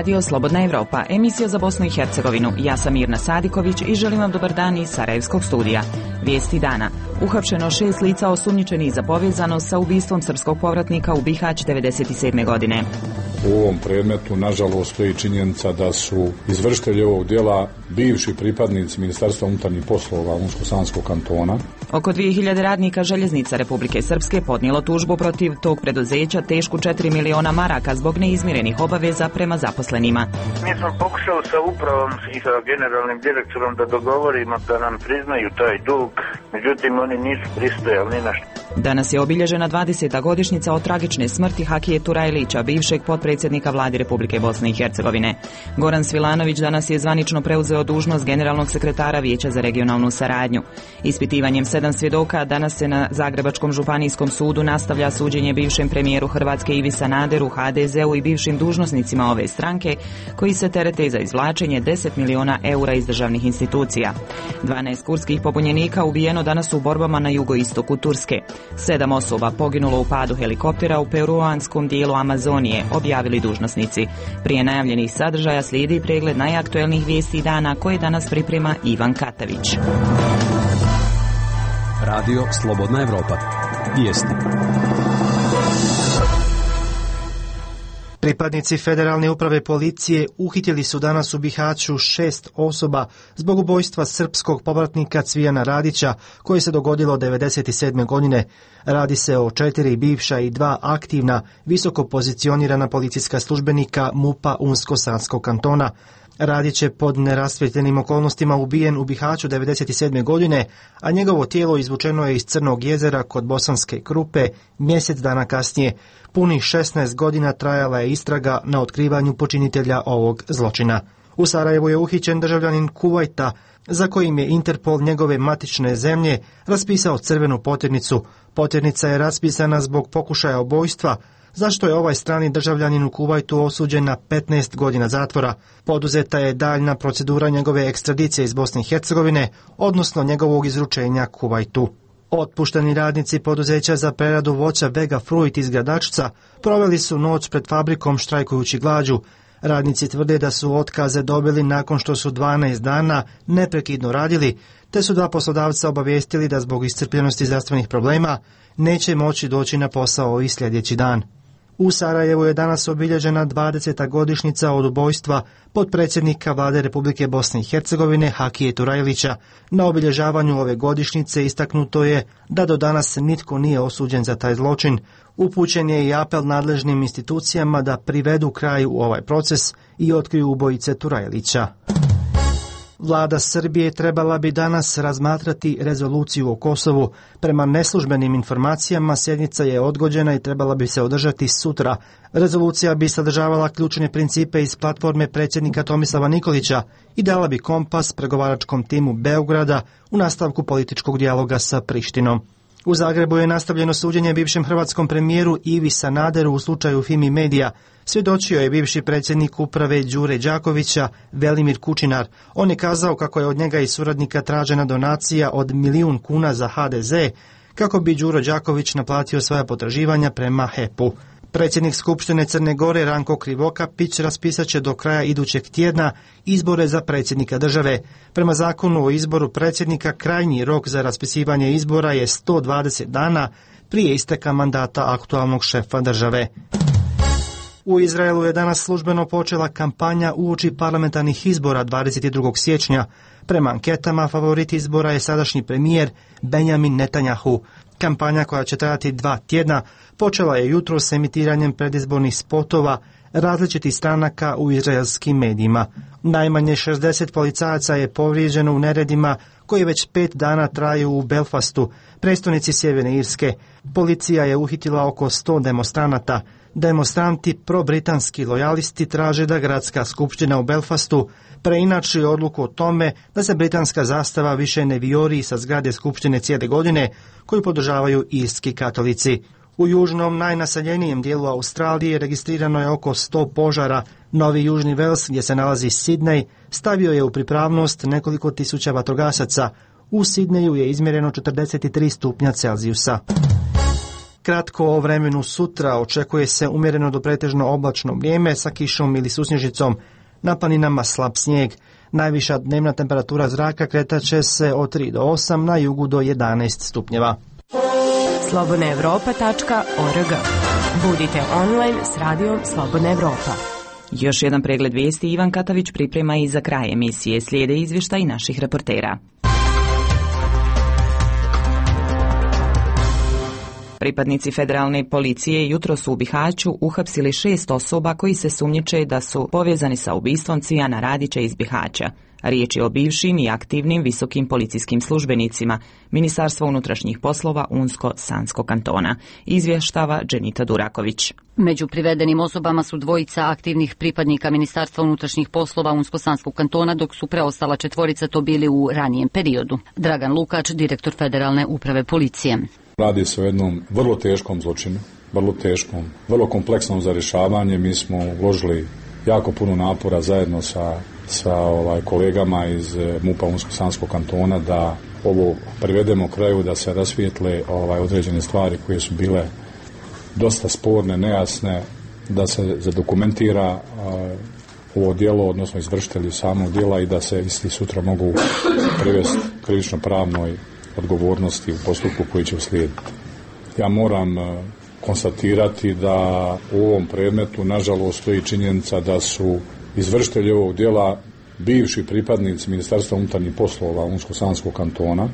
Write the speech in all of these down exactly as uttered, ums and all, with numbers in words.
Radio Slobodna Evropa, emisija za Bosnu i Hercegovinu. Ja sam Mirna Sadiković i želim vam dobar dan iz Sarajevskog studija. Vijesti dana. Uhapšeno šest lica osumnjičenih za povezanost sa ubistvom srpskog povratnika u Bihać devedeset sedme godine. U ovom predmetu, nažalost, stoji činjenica da su izvršitelji ovog djela bivši pripadnici Ministarstva unutarnjih poslova Unsko-Sanskog kantona. Oko dvije hiljade radnika Željeznica Republike Srpske podnijelo tužbu protiv tog preduzeća tešku četiri miliona maraka zbog neizmirenih obaveza prema zaposlenima. Mi smo pokušali sa upravom i sa generalnim direktorom da dogovorimo da nam priznaju taj dug, međutim oni nisu pristojali ni na što. Danas je obilježena dvadeseta godišnjica od tragične smrti Hakije Turajlića, bivšeg potpredsjednika Vlade Republike Bosne i Hercegovine. Goran Svilanović danas je zvanično preuzeo dužnost generalnog sekretara Vijeća za regionalnu saradnju. Ispitivanjem sedam svjedoka danas se na Zagrebačkom županijskom sudu nastavlja suđenje bivšem premijeru Hrvatske Ivi Sanaderu, ha de zeu i bivšim dužnosnicima ove stranke koji se terete za izvlačenje deset miliona eura iz državnih institucija. dvanaest kurskih pobunjenika ubijeno danas u borbama na jugoistoku Turske. Sedam osoba poginulo u padu helikoptera u peruanskom dijelu Amazonije, objavili dužnosnici. Prije najavljenih sadržaja slijedi pregled najaktuelnijih vijesti dana koje danas priprema Ivan Katavić. Radio Slobodna Evropa. Vijesti. Pripadnici Federalne uprave policije uhitili su danas u Bihaću šest osoba zbog ubojstva srpskog povratnika Cvijana Radića koje se dogodilo devedeset sedme godine. Radi se o četiri bivša i dva aktivna visoko pozicionirana policijska službenika MUP-a Unsko-Sanskog kantona. Radić je pod nerasvjetljenim okolnostima ubijen u Bihaću devedeset sedme godine, a njegovo tijelo izvučeno je iz Crnog jezera kod Bosanske Krupe mjesec dana kasnije. Punih šesnaest godina trajala je istraga na otkrivanju počinitelja ovog zločina. U Sarajevu je uhićen državljanin Kuvajta, za kojim je Interpol njegove matične zemlje raspisao crvenu poternicu. Poternica je raspisana zbog pokušaja ubojstva, zašto je ovaj strani državljanin u Kuvajtu osuđen na petnaest godina zatvora. Poduzeta je daljna procedura njegove ekstradicije iz Bosne i Hercegovine, odnosno njegovog izručenja Kuvajtu. Otpušteni radnici poduzeća za preradu voća Vega Fruit iz Gradačca proveli su noć pred fabrikom štrajkujući glađu. Radnici tvrde da su otkaze dobili nakon što su dvanaest dana neprekidno radili, te su dva poslodavca obavijestili da zbog iscrpljenosti zdravstvenih problema neće moći doći na posao i sljedeći dan. U Sarajevu je danas obilježena dvadeseta godišnjica od ubojstva potpredsjednika Vlade Republike Bosne i Hercegovine Hakije Turajlića. Na obilježavanju ove godišnjice istaknuto je da do danas nitko nije osuđen za taj zločin. Upućen je i apel nadležnim institucijama da privedu kraju u ovaj proces i otkriju ubojice Turajlića. Vlada Srbije trebala bi danas razmatrati rezoluciju o Kosovu. Prema neslužbenim informacijama sjednica je odgođena i trebala bi se održati sutra. Rezolucija bi sadržavala ključne principe iz platforme predsjednika Tomislava Nikolića i dala bi kompas pregovaračkom timu Beograda u nastavku političkog dijaloga sa Prištinom. U Zagrebu je nastavljeno suđenje bivšem hrvatskom premijeru Ivi Sanaderu u slučaju Fimi Medija. Svjedočio je bivši predsjednik uprave Đure Đakovića, Velimir Kučinar. On je kazao kako je od njega i suradnika tražena donacija od milijun kuna za ha de ze, kako bi Đuro Đaković naplatio svoja potraživanja prema he pe-u. Predsjednik Skupštine Crne Gore Ranko Krivokapić raspisat će do kraja idućeg tjedna izbore za predsjednika države. Prema zakonu o izboru predsjednika krajnji rok za raspisivanje izbora je sto dvadeset dana prije isteka mandata aktualnog šefa države. U Izraelu je danas službeno počela kampanja uoči parlamentarnih izbora dvadeset drugog siječnja. Prema anketama favorit izbora je sadašnji premijer Benjamin Netanjahu. Kampanja koja će trajati dva tjedna počela je jutros s emitiranjem predizbornih spotova različitih stranaka u izraelskim medijima. Najmanje šezdeset policajaca je povrijeđeno u neredima koji već pet dana traju u Belfastu, prestonici Sjeverne Irske. Policija je uhitila oko sto demonstranata. Demonstranti probritanski lojalisti traže da gradska skupština u Belfastu preinači odluku o tome da se britanska zastava više ne vijori sa zgrade skupštine cijele godine koju podržavaju irski katolici. U južnom najnaseljenijem dijelu Australije registrirano je oko sto požara. Novi Južni Vels, gdje se nalazi Sidney, stavio je u pripravnost nekoliko tisuća vatrogasaca. U Sidneju je izmjereno četrdeset tri stupnja Celzijusa. Kratko o vremenu sutra, očekuje se umjereno do pretežno oblačno vrijeme sa kišom ili susnježicom, na planinama slab snijeg. Najviša dnevna temperatura zraka kretat će se od tri do osam, na jugu do jedanaest stupnjeva. slobodna europa tačka org. Budite online s radijom Slobodna Evropa. Još jedan pregled vijesti Ivan Katavić priprema i za kraj emisije. Slijede izvještaj naših reportera. Pripadnici federalne policije jutro su u Bihaću uhapsili šest osoba koji se sumnjiče da su povezani sa ubistvom Cvijana Radića iz Bihaća. Riječ je o bivšim i aktivnim visokim policijskim službenicima Ministarstva unutrašnjih poslova Unsko-Sanskog kantona, izvještava Dženita Duraković. Među privedenim osobama su dvojica aktivnih pripadnika Ministarstva unutrašnjih poslova Unsko-Sanskog kantona, dok su preostala četvorica to bili u ranijem periodu. Dragan Lukač, direktor Federalne uprave policije. Radi se o jednom vrlo teškom zločinu, vrlo teškom, vrlo kompleksnom za rješavanje. Mi smo uložili jako puno napora zajedno sa, sa ovaj, kolegama iz MUP-a Unsko-Sanskog kantona da ovo privedemo kraju, da se rasvijetle ovaj, određene stvari koje su bile dosta sporne, nejasne, da se zadokumentira ovaj, ovo djelo, odnosno izvršitelji samog djela i da se isti sutra mogu privesti krivično pravnoj odgovornosti u postupku koji će uslijediti. Ja moram konstatirati da u ovom predmetu nažalost stoji činjenica da su izvršitelji ovog djela bivši pripadnici Ministarstva unutarnjih poslova Unsko-Sanskog kantona.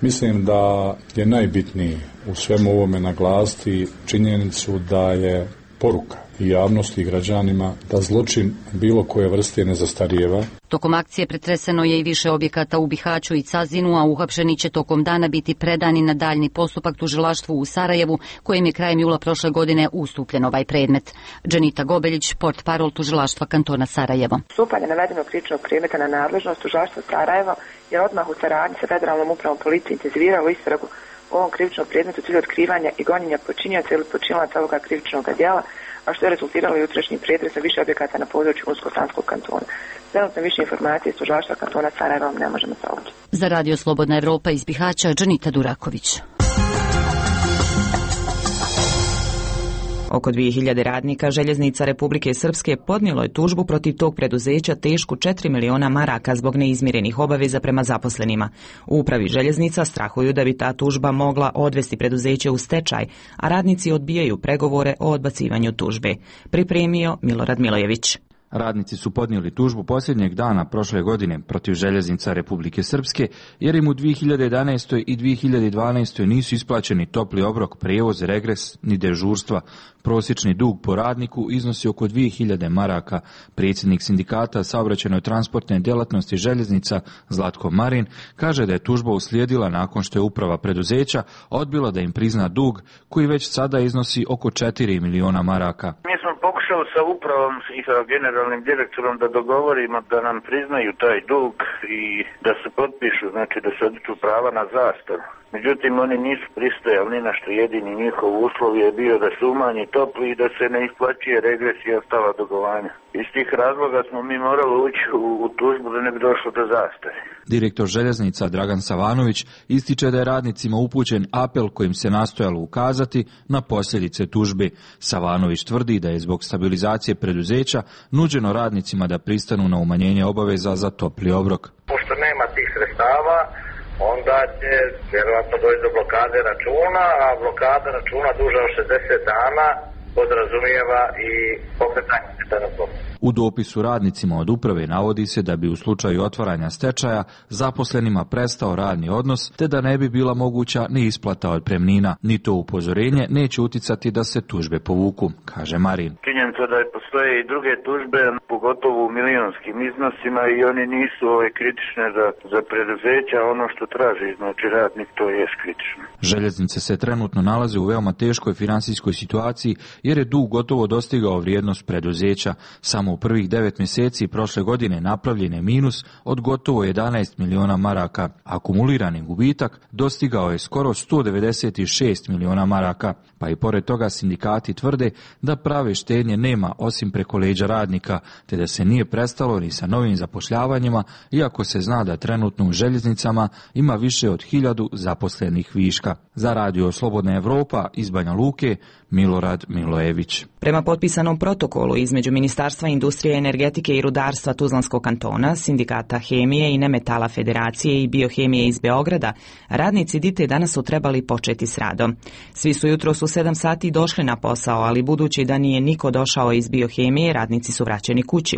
Mislim da je najbitnije u svemu ovome naglasiti činjenicu da je poruka i javnosti i građanima da zločin bilo koje vrste ne zastarijeva. Tokom akcije pretreseno je i više objekata u Bihaću i Cazinu, a uhapšeni će tokom dana biti predani na daljni postupak tužilaštvu u Sarajevu, kojem je krajem jula prošle godine ustupljen ovaj predmet. Dženita Gobeljić, portparol tužilaštva kantona Sarajevo. Stupanje navedenog krivičnog predmeta na nadležnost tužilaštva Sarajevo je odmah u saradnji sa Federalnom upravom policije intenziviralo istragu u ovom krivičnom predmetu cilj otkrivanja i gonjenja počinioca ili počinilaca ovoga krivičnog djela, a što je rezultiralo jutrošnjim pretresom više objekata na području Unsko-Sanskog kantona. Trenutno više informacije iz tužilaštva kantona Sarajevo ne možemo saopćiti. Za Radio Slobodna Evropa iz Bihaća, Dženita Duraković. Oko dvije hiljade radnika Željeznica Republike Srpske podnijelo je tužbu protiv tog preduzeća tešku četiri miliona maraka zbog neizmirenih obaveza prema zaposlenima. U upravi željeznica strahuju da bi ta tužba mogla odvesti preduzeće u stečaj, a radnici odbijaju pregovore o odbacivanju tužbe. Pripremio Milorad Milojević. Radnici su podnijeli tužbu posljednjeg dana prošle godine protiv Željeznica Republike Srpske jer im u dvije hiljade jedanaestoj i dvije hiljade dvanaestoj nisu isplaćeni topli obrok, prijevoz, regres ni dežurstva. Prosječni dug po radniku iznosi oko dvije hiljade maraka. Predsjednik sindikata saobraćajnoj transportne djelatnosti željeznica Zlatko Marin kaže da je tužba uslijedila nakon što je uprava preduzeća odbila da im prizna dug koji već sada iznosi oko četiri miliona maraka. Mi smo pokušali sa upravom i sa generalnim direktorom da dogovorimo da nam priznaju taj dug i da se potpišu, znači da se odliču prava na zastaru. Međutim, oni nisu pristajali ni na što. Jedini njihov uslov je bio da se umanji topli i da se ne isplaćuje regres i ostala dugovanja. Iz tih razloga smo mi morali ući u, u tužbu da ne bi došlo do zastare. Direktor željeznica Dragan Savanović ističe da je radnicima upućen apel kojim se nastojalo ukazati na posljedice tužbe. Savanović tvrdi da je zbog stabilizacije preduzeća nuđeno radnicima da pristanu na umanjenje obaveza za topli obrok. Pošto nema tih sredstava, onda će vjerovatno doći do blokade računa, a blokada računa duža od šezdeset dana podrazumijeva i pokretanje stečajnog postupka. U dopisu radnicima od uprave navodi se da bi u slučaju otvaranja stečaja zaposlenima prestao radni odnos, te da ne bi bila moguća ni isplata otpremnina. Ni to upozorenje neće uticati da se tužbe povuku, kaže Marin. Činjenica da postoje i druge tužbe, pogotovo u milionskim iznosima, i oni nisu ove kritične za, za preduzeća, ono što traži, znači radnik, to je kritično. Željeznice se trenutno nalaze u veoma teškoj finansijskoj situaciji jer je dug gotovo dostigao vrijednost preduzeća. Samo Samo u prvih devet mjeseci prošle godine napravljen je minus od gotovo jedanaest miliona maraka. Akumulirani gubitak dostigao je skoro sto devedeset šest miliona maraka, pa i pored toga sindikati tvrde da prave štednje nema osim preko leđa radnika, te da se nije prestalo ni sa novim zapošljavanjima, iako se zna da trenutno u željeznicama ima više od hiljadu zaposlenih viška. Za radio Slobodna Evropa iz Banja Luke, Milorad Milojević. Prema potpisanom protokolu između Ministarstva industrije, energetike i rudarstva Tuzlanskog kantona, Sindikata hemije i nemetala Federacije i biohemije iz Beograda, radnici Dite danas su trebali početi s radom. Svi su jutros u sedam sati došli na posao, ali budući da nije niko došao iz biohemije, radnici su vraćeni kući.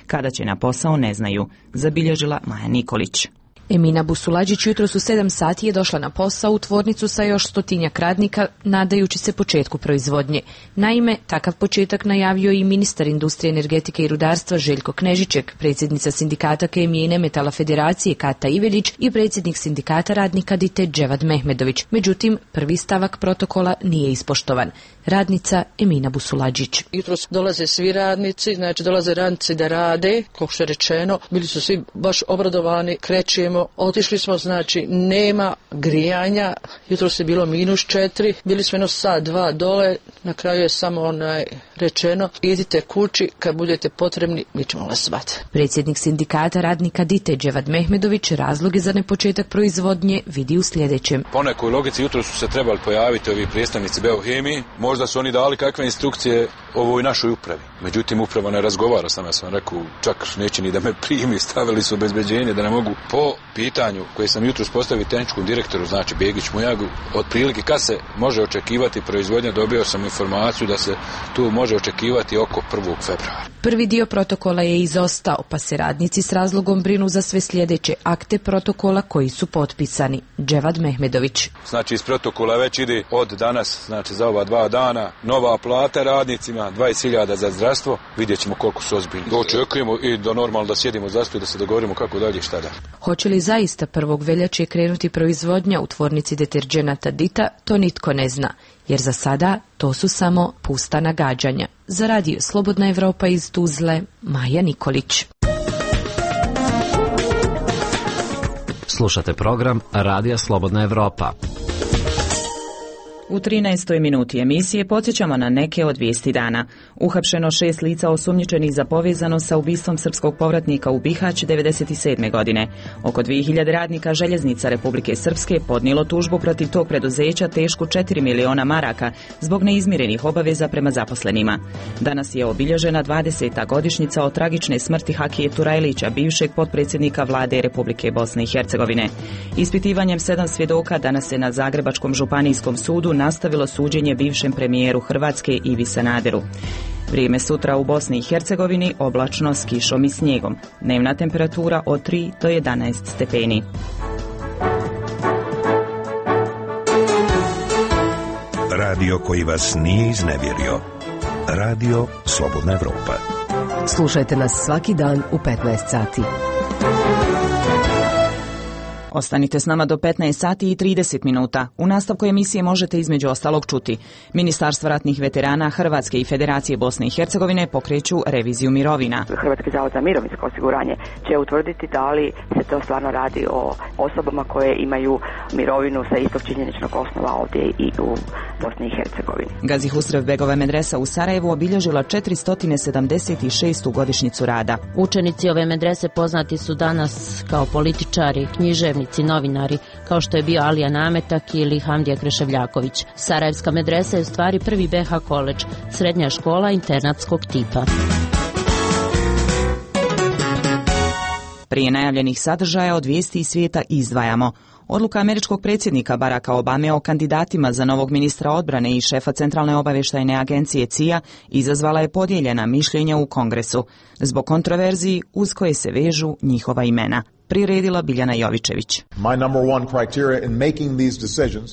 Kada će na posao ne znaju, zabilježila Maja Nikolić. Emina Busulađić jutros u sedam sati je došla na posao u tvornicu sa još stotinjak radnika, nadajući se početku proizvodnje. Naime, takav početak najavio i ministar industrije, energetike i rudarstva Željko Knežiček, predsjednica Sindikata hemije i nemetala Federacije Kata Ivelić i predsjednik Sindikata radnika Dite Dževad Mehmedović. Međutim, prvi stavak protokola nije ispoštovan. Radnica Emina Busulađić. Jutros dolaze svi radnici, znači dolaze radnici da rade, kako što je rečeno, bili su svi baš obradovani, krećemo. Otišli smo, znači nema grijanja, jutros je bilo minus četiri, bili smo jedno sat, dva dole, na kraju je samo onaj rečeno, idite kući, kad budete potrebni, mi ćemo vas zvati. Predsjednik Sindikata radnika Dite Dževad Mehmedović razloge za nepočetak proizvodnje vidi u sljedećem. Po nekoj logici jutros su se trebali pojaviti ovi predstavnici Beohemije, možda su oni dali kakve instrukcije ovoj našoj upravi. Međutim, uprava ne razgovara s nama, ja sam rekao, čak neće ni da me primi, stavili su obezbeđenje da ne mogu. Po pitanju koje sam jutros postavio tehničkom direktoru, znači Begić Mujagu, otprilike kad se može očekivati proizvodnja, dobio sam informaciju da se tu može očekivati oko prvog februara. Prvi dio protokola je izostao, pa se radnici s razlogom brinu za sve sljedeće akte protokola koji su potpisani. Dževad Mehmedović. Znači iz protokola već ide od danas, znači za ova dva dana, nova plata radnicima, dvadeset hiljada za zdravstvo, vidjet ćemo koliko su ozbiljni. Očekujemo i da normalno da sjedimo za stol i da se dogovorimo kako dalje i šta dalje. Hoće li zaista prvog veljače krenuti proizvodnja u tvornici deterđenata Dita, to nitko ne zna, jer za sada to su samo pusta nagađanja. Za radio Slobodna Evropa iz Tuzle, Maja Nikolić. Slušate program Radija Slobodna Evropa. U trinaestoj minuti emisije podsjećamo na neke od vijesti dana. Uhapšeno šest lica osumnjičenih za povezano sa ubistvom srpskog povratnika u Bihać devedeset sedme. godine. Oko dvije hiljade radnika željeznica Republike Srpske podnijelo tužbu protiv tog preduzeća tešku četiri miliona maraka zbog neizmirenih obaveza prema zaposlenima. Danas je obilježena dvadeseta godišnjica od tragične smrti Hakije Turajlića, bivšeg potpredsjednika vlade Republike Bosne i Hercegovine. Ispitivanjem sedam svjedoka danas se na Zagrebačkom županijskom sudu nastavilo suđenje bivšem premijeru Hrvatske Ivi Sanaderu. Vrijeme sutra u Bosni i Hercegovini oblačno s kišom i snijegom. Dnevna temperatura od tri do jedanaest stepeni. Radio koji vas nije iznevjerio. Radio Slobodna Evropa. Slušajte nas svaki dan u petnaest sati. Ostanite s nama do petnaest sati i trideset minuta. U nastavku emisije možete između ostalog čuti. Ministarstvo ratnih veterana Hrvatske i Federacije Bosne i Hercegovine pokreću reviziju mirovina. Hrvatski zavod za mirovinsko osiguranje će utvrditi da li se to stvarno radi o osobama koje imaju mirovinu sa istog činjeničnog osnova ovdje i u Bosni i Hercegovini. Gazi Husrev Begova medresa u Sarajevu obilježila četiristo sedamdeset šestu godišnjicu rada. Učenici ove medrese poznati su danas kao političari, književnici, novinari, kao što je bio Alija Nametak ili Hamdija Kreševljaković. Sarajevska medresa je u stvari prvi B H koledž, srednja škola internatskog tipa. Prije najavljenih sadržaja od vijesti iz svijeta izdvajamo. Odluka američkog predsjednika Baracka Obame o kandidatima za novog ministra odbrane i šefa Centralne obavještajne agencije C I A izazvala je podijeljena mišljenja u Kongresu, zbog kontroverziji uz koje se vežu njihova imena. Priredila Biljana Jovičević.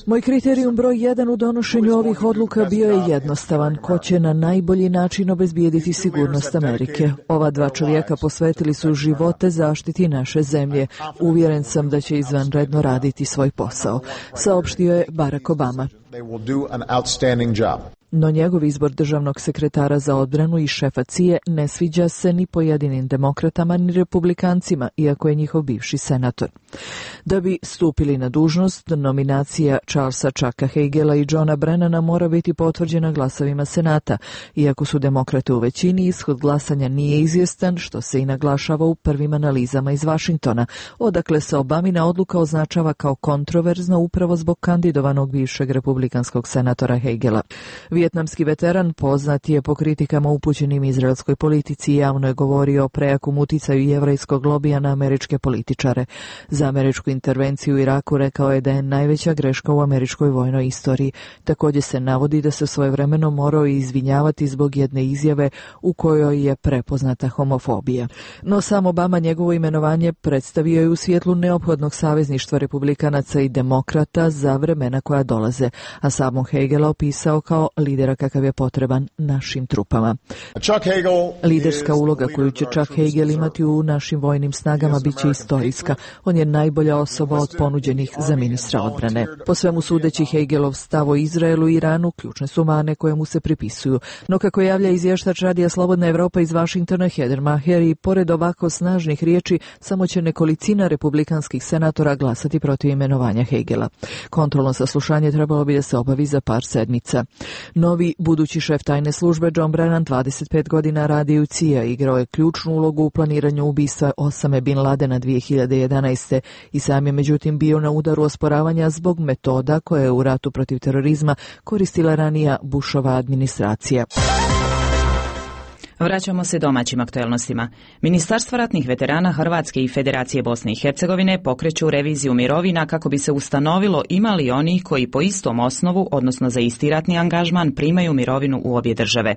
Moj kriterijum broj jedan u donošenju ovih odluka bio je jednostavan. Ko će na najbolji način obezbijediti sigurnost Amerike? Ova dva čovjeka posvetili su živote zaštiti naše zemlje. Uvjeren sam da će izvanredno raditi svoj posao, saopštio je Barack Obama. No njegov izbor državnog sekretara za odbranu i šefa C I A ne sviđa se ni pojedinim demokratama ni republikancima, iako je njihov bivši senator. Da bi stupili na dužnost, nominacija Charlesa Chucka Hagela i Johna Brennana mora biti potvrđena glasovima Senata. Iako su demokrate u većini, ishod glasanja nije izvjestan, što se i naglašava u prvim analizama iz Vašingtona, odakle se Obamina odluka označava kao kontroverzna upravo zbog kandidovanog bivšeg republikanskog senatora Hagela. Vijetnamski veteran poznat je po kritikama upućenim izraelskoj politici i javno je govorio o prejakom uticaju jevrejskog lobija na američke političare. Za američku intervenciju u Iraku rekao je da je najveća greška u američkoj vojnoj istoriji. Također se navodi da se svojevremeno morao izvinjavati zbog jedne izjave u kojoj je prepoznata homofobija. No sam Obama njegovo imenovanje predstavio je u svjetlu neophodnog savezništva republikanaca i demokrata za vremena koja dolaze, a samog Hagela opisao kao lidera kakav je potreban našim trupama. Liderska uloga koju će Chuck Hagel imati u našim vojnim snagama bit će istorijska. On je najbolja osoba od ponuđenih za ministra odbrane. Po svemu sudeći, Hagelov stav o Izraelu i Iranu ključne su mane koje mu se pripisuju. No kako javlja izvještač Radija Slobodna Evropa iz Vašingtona Heather Maher, i pored ovako snažnih riječi, samo će nekolicina republikanskih senatora glasati protiv imenovanja Hagela. Kontrolno saslušanje trebalo bi da se obavi za par sedmica. Novi budući šef tajne službe John Brennan, dvadeset pet godina radi u C I A, igrao je ključnu ulogu u planiranju ubistva Osame Bin Ladena dvije hiljade jedanaeste. i sam je međutim bio na udaru osporavanja zbog metoda koje je u ratu protiv terorizma koristila ranija Bushova administracija. Vraćamo se domaćim aktuelnostima. Ministarstvo ratnih veterana Hrvatske i Federacije Bosne i Hercegovine pokreću reviziju mirovina kako bi se ustanovilo ima li oni koji po istom osnovu, odnosno za isti ratni angažman, primaju mirovinu u obje države.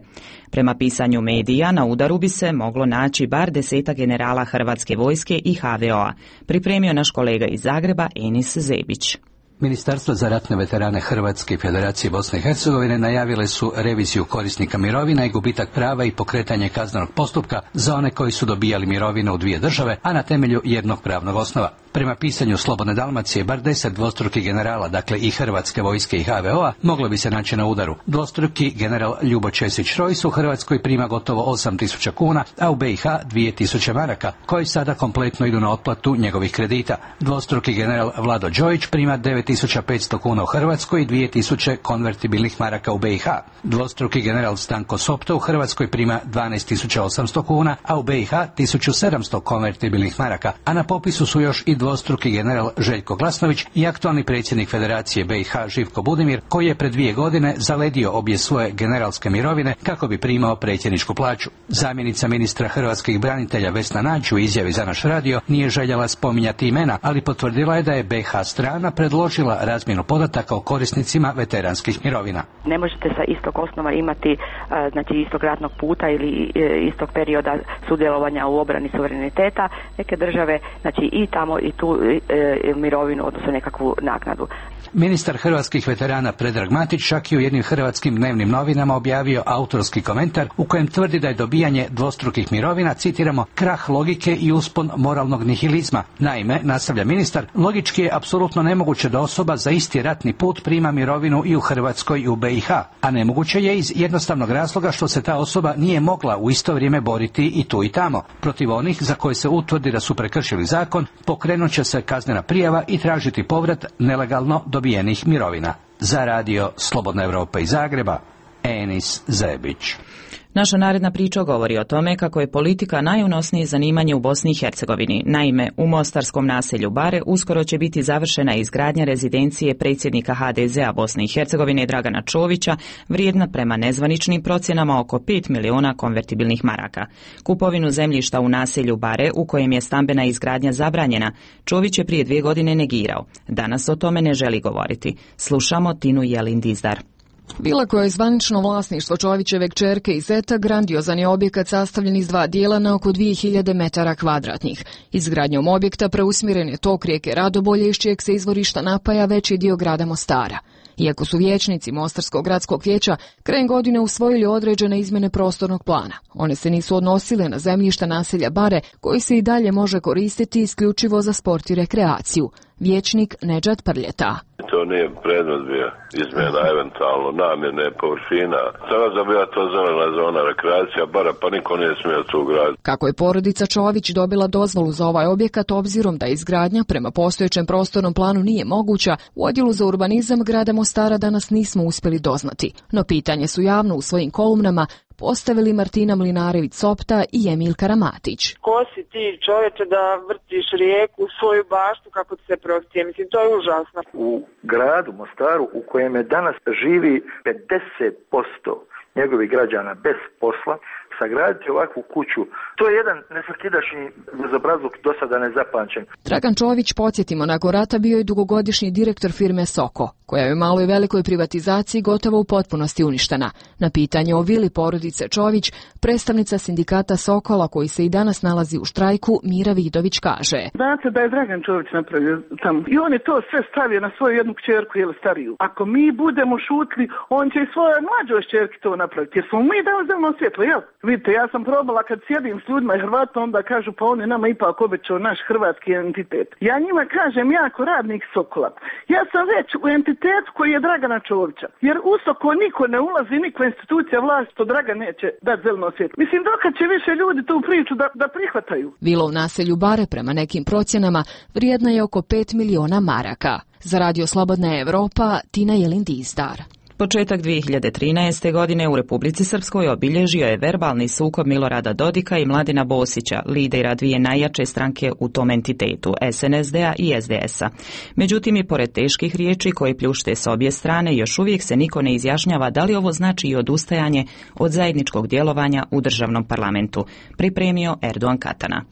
Prema pisanju medija, na udaru bi se moglo naći bar deseta generala Hrvatske vojske i H V O-a. Pripremio naš kolega iz Zagreba, Enis Zebić. Ministarstvo za ratne veterane Hrvatske i Federacije Bosne i Hercegovine najavile su reviziju korisnika mirovina i gubitak prava i pokretanje kaznenog postupka za one koji su dobijali mirovine u dvije države, a na temelju jednog pravnog osnova. Prema pisanju Slobodne Dalmacije, bar deset dvostrukih generala, dakle i Hrvatske vojske i H V O-a, moglo bi se naći na udaru. Dvostruki general Ljubo Česić-Rojs u Hrvatskoj prima gotovo osam tisuća kuna, a u B i H dvije tisuće maraka, koji sada kompletno idu na otplatu njegovih kredita. Dvostruki general Vlado Đojić prima devet tisuća petsto kuna u Hrvatskoj i dvije tisuće konvertibilnih maraka u B i H. Dvostruki general Stanko Sopto u Hrvatskoj prima dvanaest tisuća osamsto kuna, a u B i H tisuću sedamsto konvertibilnih maraka, a na popisu su još i dvostruki general Željko Glasnović i aktualni predsjednik Federacije B i H Živko Budimir, koji je pred dvije godine zaledio obje svoje generalske mirovine kako bi primao predsjedničku plaću. Zamjenica ministra hrvatskih branitelja Vesna Nađ u izjavi za naš radio nije željela spominjati imena, ali potvrdila je da je B i H strana predložila razmjenu podataka o korisnicima veteranskih mirovina. Ne možete sa istog osnova imati znači istog ratnog puta ili istog perioda sudjelovanja u obrani suvereniteta neke države, znači i tamo i tu e, mirovinu, odnosno nekakvu naknadu. Ministar hrvatskih veterana Predrag Matić čak i u jednim hrvatskim dnevnim novinama objavio autorski komentar u kojem tvrdi da je dobijanje dvostrukih mirovina, citiramo, krah logike i uspon moralnog nihilizma. Naime, nastavlja ministar, logički je apsolutno nemoguće da osoba za isti ratni put prima mirovinu i u Hrvatskoj i u B i H, a nemoguće je iz jednostavnog razloga što se ta osoba nije mogla u isto vrijeme boriti i tu i tamo. Protiv onih za koje se utvrdi da su prekršili zakon, pokrenut će se kaznena prijava i tražiti povrat nelegalno dobijenih mirovina. Za radio Slobodna Evropa iz Zagreba, Enis Zebić. Naša naredna priča govori o tome kako je politika najunosnije zanimanje u Bosni i Hercegovini. Naime, u mostarskom naselju Bare uskoro će biti završena izgradnja rezidencije predsjednika H D Z-a Bosne i Hercegovine Dragana Čovića, vrijedna prema nezvaničnim procjenama oko pet miliona konvertibilnih maraka. Kupovinu zemljišta u naselju Bare, u kojem je stambena izgradnja zabranjena, Čović je prije dvije godine negirao. Danas o tome ne želi govoriti. Slušamo Tinu Jelin Dizdar. Vila koja je zvanično vlasništvo Čovićeve kćerke i zeta grandiozan je objekat sastavljen iz dva dijela na oko dvije hiljade metara kvadratnih. Izgradnjom objekta preusmjeren je tok rijeke Radobolje iz čijeg se izvorišta napaja veći dio grada Mostara. Iako su vijećnici Mostarskog gradskog vijeća krajem godine usvojili određene izmjene prostornog plana, one se nisu odnosile na zemljišta naselja Bare, koji se i dalje može koristiti isključivo za sport i rekreaciju. Vijećnik Nedžad Prljeta. To to nije predmet bio izmjena eventualno namjene površina. Sada da bila to zelena zona rekreacija, bara pa niko nije smio tu graditi. Kako je porodica Čović dobila dozvolu za ovaj objekat, obzirom da izgradnja prema postojećem prostornom planu nije moguća, u odjelu za urbanizam grada Mostara danas nismo uspjeli doznati. No pitanje su javno u svojim kolumnama postavili Martina Mlinarević-Sopta i Emil Karamatić. Ko si ti, čovječe, da vrtiš rijeku u svoju baštu kako ti se prohtije? Mislim, to je užasno. U gradu Mostaru u kojem je danas živi pedeset posto njegovih građana bez posla, sagraditi ovakvu kuću, to je jedan nesvakidašnji bezobrazluk do sada nezapamćen. Dragan Čović, podsjetimo, nakon rata bio je dugogodišnji direktor firme Soko, koja je u maloj velikoj privatizaciji gotovo u potpunosti uništena. Na pitanje o vili porodice Čović, predstavnica sindikata Sokola, koji se i danas nalazi u štrajku, Mira Vidović kaže: Znate da je Dragan Čović napravio tamo i on je to sve stavio na svoju jednu kćerku ili stariju. Ako mi budemo šutli, on će i svojoj mlađoj kćerki to napraviti, jer smo mi dali zeleno svjetlo, jel? Vidite, ja sam probala kad sjedim s ljudima i Hrvatima, onda kažu pa on je nama ipak obećao naš hrvatski entitet. Ja njima kažem, jako radnik Sokola, ja sam već u entitetu koji je Dragana Čovića, jer u Soko niko ne ulazi, nikakva institucija vlasti, to Dragan neće dati zeleno svjetlo. Mislim, dokad će više ljudi tu priču da, da prihvataju. Vila u naselju Bare, prema nekim procjenama, vrijedna je oko pet miliona maraka. Za Radio Slobodna Evropa, Tina Jelin-Dizdar. Početak dvije hiljade trinaeste. godine u Republici Srpskoj obilježio je verbalni sukob Milorada Dodika i Mladena Bosića, lidera dvije najjače stranke u tom entitetu, S N S D-a i S D S-a. Međutim, i pored teških riječi koje pljušte s obje strane, još uvijek se niko ne izjašnjava da li ovo znači i odustajanje od zajedničkog djelovanja u državnom parlamentu. Pripremio Erdogan Katana.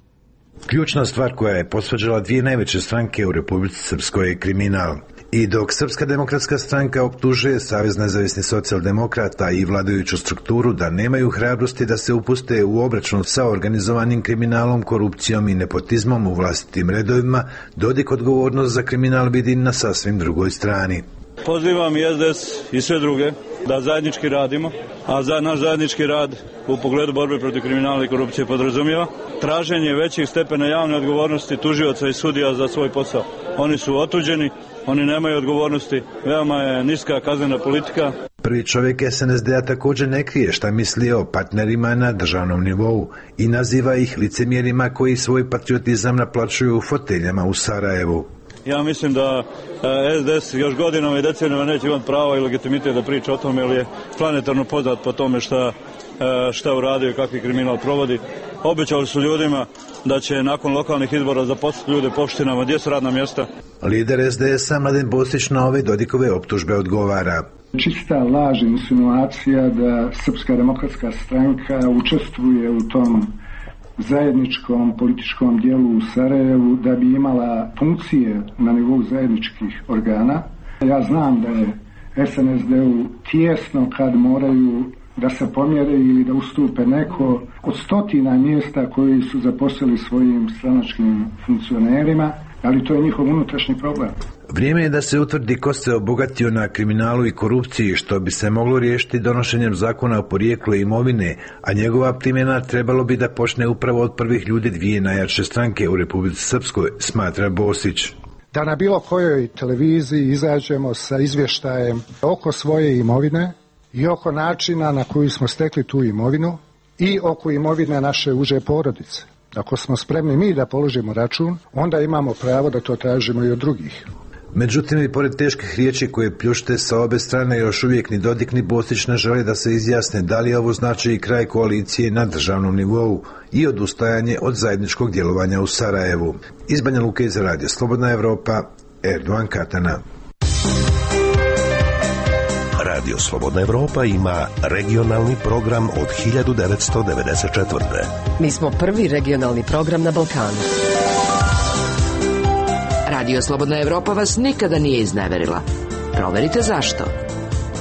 Ključna stvar koja je posvađala dvije najveće stranke u Republici Srpskoj je kriminal. I dok Srpska demokratska stranka optužuje Savez nezavisnih socijaldemokrata i vladajuću strukturu da nemaju hrabrosti da se upuste u obračun sa organizovanim kriminalom, korupcijom i nepotizmom u vlastitim redovima, Dodik odgovornost za kriminal vidi na sasvim drugoj strani. Pozivam i S D S i sve druge da zajednički radimo, a za naš zajednički rad u pogledu borbe protiv kriminala i korupcije podrazumijeva traženje većih stepena javne odgovornosti tužioca i sudija za svoj posao. Oni su otuđeni, oni nemaju odgovornosti, veoma je niska kaznena politika. Prvi čovjek S N S D-a također ne krije šta misli o partnerima na državnom nivou i naziva ih licemjerima koji svoj patriotizam naplaćuju u foteljama u Sarajevu. Ja mislim da S D S još godinama i decenijama neće imati pravo i legitimitet da priča o tome, jer je planetarno poznat po tome šta, šta uradio i kakvi kriminal provodi. Obećali su ljudima da će nakon lokalnih izbora zaposliti ljude po opštinama, gdje su radna mjesta. Lider S D S-a Mladen Bosić na ove Dodikove optužbe odgovara. Čista laž, insinuacija da Srpska demokratska stranka učestvuje u tom zajedničkom političkom dijelu u Sarajevu da bi imala funkcije na nivou zajedničkih organa. Ja znam da je S N S D-u tijesno kad moraju da se pomjere ili da ustupe neko od stotina mjesta koji su zaposlili svojim stranačkim funkcionerima, ali to je njihov unutrašnji problem. Vrijeme je da se utvrdi ko se obogatio na kriminalu i korupciji, što bi se moglo riješiti donošenjem zakona o porijeklu imovine, a njegova primjena trebalo bi da počne upravo od prvih ljudi dvije najjače stranke u Republici Srpskoj, smatra Bosić. Da na bilo kojoj televiziji izađemo sa izvještajem oko svoje imovine i oko načina na koji smo stekli tu imovinu i oko imovine naše uže porodice. Ako smo spremni mi da položimo račun, onda imamo pravo da to tražimo i od drugih. Međutim, i pored teških riječi koje pljušte sa obe strane, još uvijek ni Dodik ni Bosić ne žele da se izjasne da li ovo znači i kraj koalicije na državnom nivou i odustajanje od zajedničkog djelovanja u Sarajevu. Iz Banja Luke za Radio Slobodna Evropa, Erdogan Katana. Radio Slobodna Evropa ima regionalni program od hiljadu devetsto devedeset četvrte. Mi smo prvi regionalni program na Balkanu. Radio Slobodna Evropa vas nikada nije izneverila. Proverite zašto.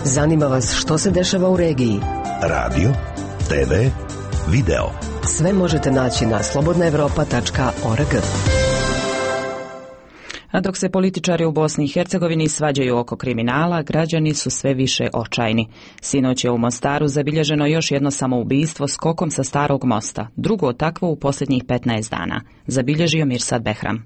Zanima vas što se dešava u regiji. Radio, T V, video. Sve možete naći na slobodna evropa tačka org. A dok se političari u Bosni i Hercegovini svađaju oko kriminala, građani su sve više očajni. Sinoć je u Mostaru zabilježeno još jedno samoubistvo skokom sa starog mosta, drugo takvo u posljednjih petnaest dana. Zabilježio Mirsad Behram.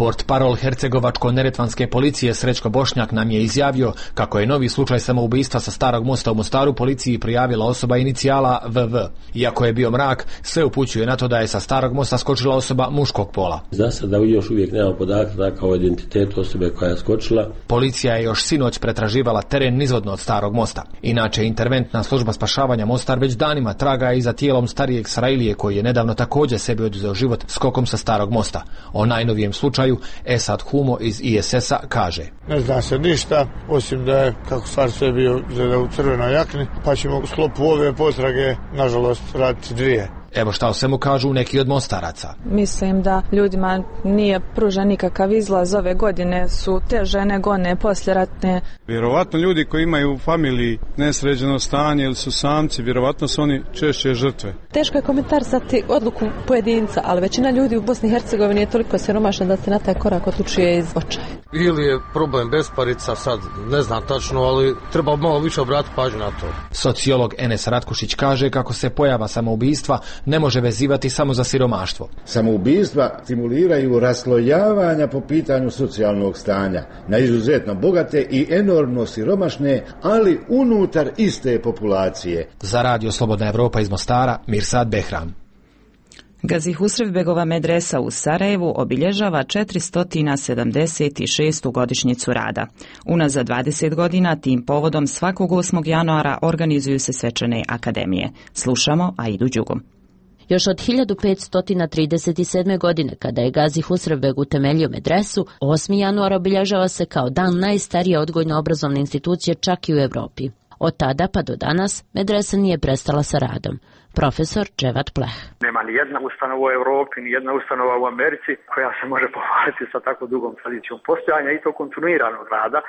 Portparol Hercegovačko-neretvanske policije Srećko Bošnjak nam je izjavio kako je novi slučaj samoubistva sa Starog mosta u Mostaru policiji prijavila osoba inicijala V V. Iako je bio mrak, sve upućuje na to da je sa Starog mosta skočila osoba muškog pola. Za sada još uvijek nema podataka o identitetu osobe koja je skočila. Policija je još sinoć pretraživala teren nizvodno od Starog mosta. Inače, interventna služba spašavanja Mostar već danima traga i za tijelom starijeg Sarailije koji je nedavno također sebi oduzeo život skokom sa Starog mosta. O najnovijem slučaju Esad Humo iz I S S-a kaže: Ne zna se ništa, osim da je, kako stvar sve bio, u crvenoj jakni, pa ćemo u sklopu ove potrage, nažalost, raditi dvije. Evo šta o svemu kažu neki od mostaraca. Mislim da ljudima nije pružen nikakav izlaz ove godine, su teže nego one posljeratne. Vjerovatno ljudi koji imaju u familiji nesređeno stanje ili su samci, vjerovatno su oni češće žrtve. Teško je komentarisati odluku pojedinca, ali većina ljudi u Bosni i Hercegovini je toliko siromašna da se na taj korak odlučuje iz očaja. Ili je problem besparica, sad ne znam tačno, ali treba malo više obratiti pažnju na to. Sociolog Enes Ratkušić kaže kako se pojava samoubistva ne može vezivati samo za siromaštvo. Samoubistva stimuliraju raslojavanja po pitanju socijalnog stanja na izuzetno bogate i enormno siromašne, ali unutar iste populacije. Za Radio Slobodna Evropa iz Mostara, Mirsad Behram. Gazi Husrevbegova medresa u Sarajevu obilježava četiristo sedamdeset šestu godišnjicu rada. Unazad dvadeset godina tim povodom svakog osmog januara organizuju se svečane akademije. Slušamo Aidu Đugum. Još od hiljadu petsto trideset sedme. godine, kada je Gazi Husrevbeg utemeljio medresu, osmi januar obilježava se kao dan najstarije odgojno-obrazovne institucije čak i u Evropi. Od tada pa do danas medresa nije prestala sa radom. Profesor Dževat Pleh. Nema ni jedna ustanova u Evropi, ni jedna ustanova u Americi koja se može pohvaliti sa tako dugom tradicijom postojanja i to kontinuiranog rada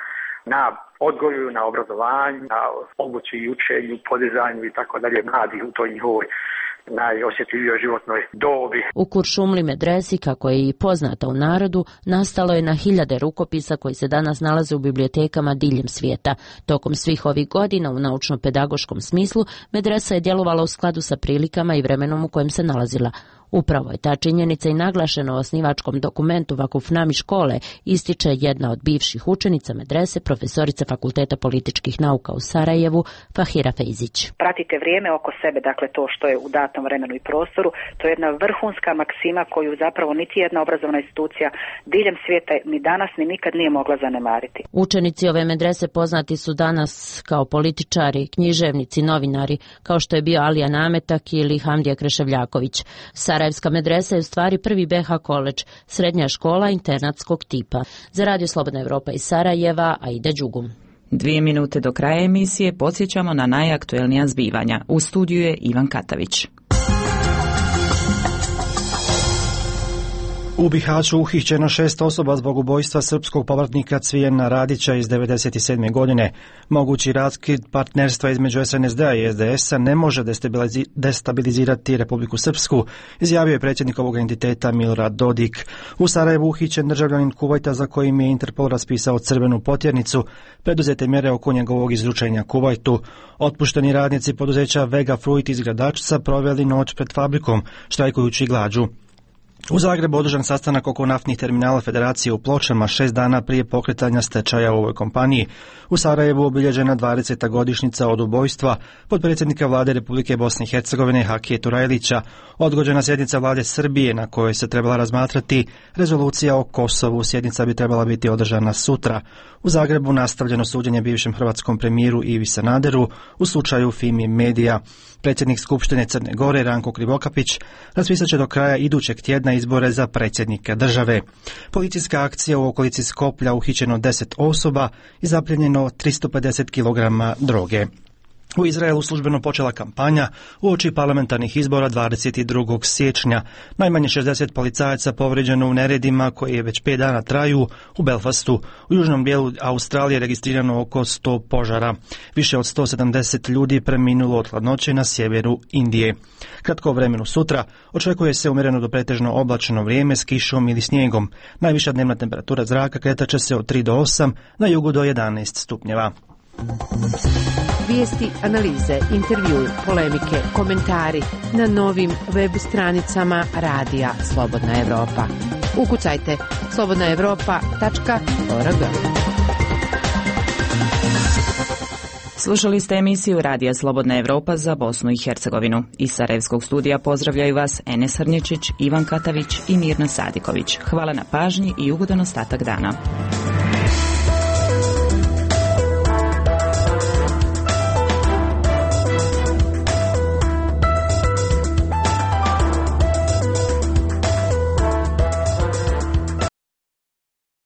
na odgoju, na obrazovanju, na obući i učenju, podizanju i tako dalje mladih u toj njihovoj najosjetljivijoj životnoj dobi. U Kuršumli medresi, kako je i poznata u narodu, nastalo je na hiljade rukopisa koji se danas nalaze u bibliotekama diljem svijeta. Tokom svih ovih godina u naučno-pedagoškom smislu medresa je djelovala u skladu sa prilikama i vremenom u kojem se nalazila. Upravo je ta činjenica i naglašena u osnivačkom dokumentu Vakufnami škole, ističe jedna od bivših učenica medrese, profesorica Fakulteta političkih nauka u Sarajevu, Fahira Fejzić. Pratite vrijeme oko sebe, dakle to što je u datom vremenu i prostoru, to je jedna vrhunska maksima koju zapravo niti jedna obrazovna institucija diljem svijeta ni danas ni nikad nije mogla zanemariti. Učenici ove medrese poznati su danas kao političari, književnici, novinari, kao što je bio Alija Nametak ili Hamdija Kreševljaković. Sarajevska medresa je u stvari prvi B H koledž, srednja škola internatskog tipa. Za Radio Slobodna Evropa iz Sarajeva, Aida Đugum. Dvije minute do kraja emisije podsjećamo na najaktuelnija zbivanja. U studiju je Ivan Katavić. U Bihaću uhićeno šest osoba zbog ubojstva srpskog povratnika Cvijena Radića iz devedeset sedme. godine. Mogući raskid partnerstva između S N S D-a i S D S-a ne može destabilizirati Republiku Srpsku, izjavio je predsjednik ovog entiteta Milorad Dodik. U Sarajevu uhićen državljanin Kuvajta za kojim je Interpol raspisao crvenu potjernicu, preduzete mjere oko njegovog izručenja Kuvajtu. Otpušteni radnici poduzeća Vega Fruit iz Gradačca proveli noć pred fabrikom, štrajkujući glađu. U Zagrebu održan sastanak oko naftnih terminala Federacije u Pločama šest dana prije pokretanja stečaja u ovoj kompaniji. U Sarajevu obilježena dvadeseta godišnjica od ubojstva potpredsjednika vlade Republike Bosne i Hercegovine Hakije Turajlića, odgođena sjednica vlade Srbije na kojoj se trebala razmatrati rezolucija o Kosovu. Sjednica bi trebala biti održana sutra. U Zagrebu nastavljeno suđenje bivšem hrvatskom premijeru Ivi Sanaderu u slučaju Fimi Medija. Predsjednik Skupštine Crne Gore Ranko Krivokapić raspisat će do kraja idućeg tjedna izbore za predsjednika države. Policijska akcija u okolici Skoplja, uhićeno deset osoba i zapljenjeno tristo pedeset kilograma droge. U Izraelu službeno počela kampanja uoči parlamentarnih izbora dvadeset drugog siječnja. Najmanje šezdeset policajaca povrijeđeno u neredima koji već pet dana traju u Belfastu. U južnom dijelu Australije registrirano oko sto požara. Više od sto sedamdeset ljudi preminulo od hladnoće na sjeveru Indije. Kratko vremenu sutra očekuje se umjereno do pretežno oblačno vrijeme s kišom ili snijegom. Najviša dnevna temperatura zraka kretat će se od tri do osam, na jugu do jedanaest stupnjeva. Vijesti, analize, intervjui, polemike, komentari na novim web stranicama Radija Slobodna Evropa. Ukucajte slobodna evropa tačka org. Slušali ste emisiju Radija Slobodna Evropa za Bosnu i Hercegovinu. Iz Sarajevskog studija pozdravljaju vas Enes Hrnječić, Ivan Katavić i Mirna Sadiković. Hvala na pažnji i ugodan ostatak dana.